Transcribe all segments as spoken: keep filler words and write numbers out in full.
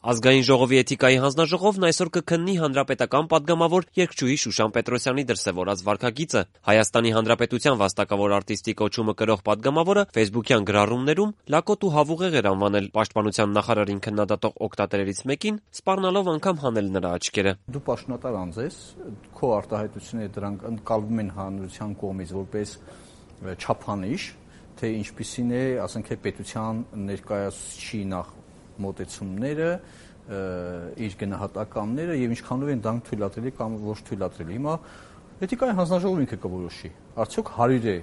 Ազգային ժողովի էթիկայի հանձնաժողովն այսօր կքննի հանրապետական պատգամավոր երգչուհի Շուշան Պետրոսյանի դրսևորած վարքագիծը։ Հայաստանի Հանրապետության վաստակավոր արտիստի կոչումը կրող պատգամավորը ֆեյսբուքյան գրառումներում լակոտ ու հավուղեղ էր անվանել պաշտպանության նախարարին քննադատող օգտատերերից մեկին, սպառնալով անգամ հանել նրա աչքերը։ Դու պաշտոնատար անձ ես, քո արտահայտությունները դրանք ընկալվում են հանրության կողմից որպես չափանիշ, թե ինչպիսին է, ասենք է, պետության ներկայացուցիչի նախ մոտեցումները, իր գնահատականները եւ ինչքանով են դրանք թույլատրելի կամ ոչ թույլատրելի։ Հիմա էթիկայի հանձնաժողովը ինքը կորոշի, արդյոք հարիր է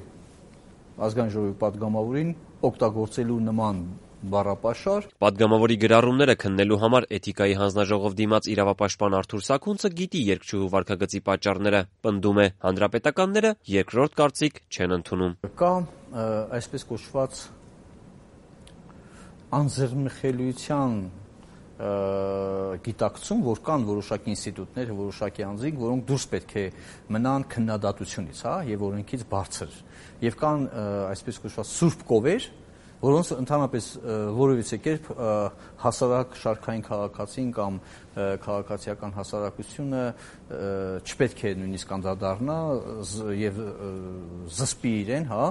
ազգային ժողովի պատգամավորին օգտագործելու նման բառապաշար։ Պատգամավորի գրառումները քննելու համար էթիկայի հանձնաժողով դիմաց իրավապաշտպան Արթուր Սաքունցը գիտի երգչուհու վարքագծի պատճառները, պնդում է, հանրապետականները երկրորդ կարծիք չեն ընդունում։ Կա այսպես կոչված անձեռնմխելիության գիտակցում, որ կան որոշակի ինստիտուտներ, որոշակի անձինք, որոնք դուրս պետք է մնան քննադատությունից, հա, եւ օրենքից բարձր։ Եվ կան այսպես կոչված սուրբ կովեր, որոնց ընդհանրապես որևիցե կերպ հասարակ շարքային քաղաքացին կամ քաղաքացիական հասարակությունը չպետք է նույնիսկ անդրադառնա եւ զսպի իրեն, հա,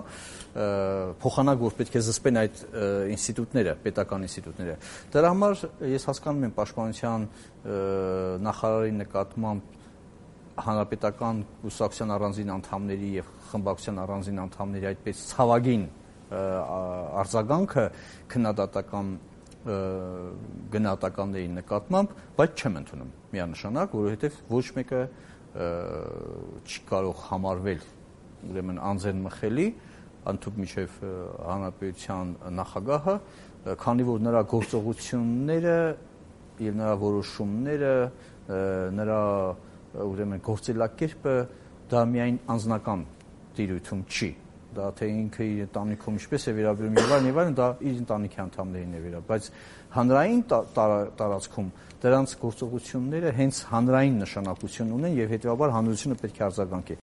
փոխանակ որ պետք է զսպեն այդ ինստիտուտները, պետական ինստիտուտները։ Դրա համար ես հասկանում եմ պաշտպանության նախարարի նկատմամբ հանրապետական կուսակցության առանձին անդամների եւ խմբակցության առանձին անդամների այդպես ցավագին արձագանքը քննադատական գնահատականների նկատմամբ, բայց չեմ ընդունում միանշանակ, որովհետև ոչ մեկը չի կարող համարվել ուրեմն անձեռնմխելի, ընդհանուր միջև հանրապետության նախագահը, քանի որ նրա գործողությունները եւ նրա որոշումները, նրա ուրեմն գործելակերպը դա միայն անձնական տիրույթում չի։ Դա թե ինքը իր ընտանիքում ինչպես է վերաբերում եւ այլն եւ այլն, դա իր ընտանիքի անդամներին է վերաբերում, բայց հանրային տարածքում դրանց գործողությունները հենց հանրային նշանակություն ունեն եւ հետեւաբար հանրությունը պետք է արձագանքի։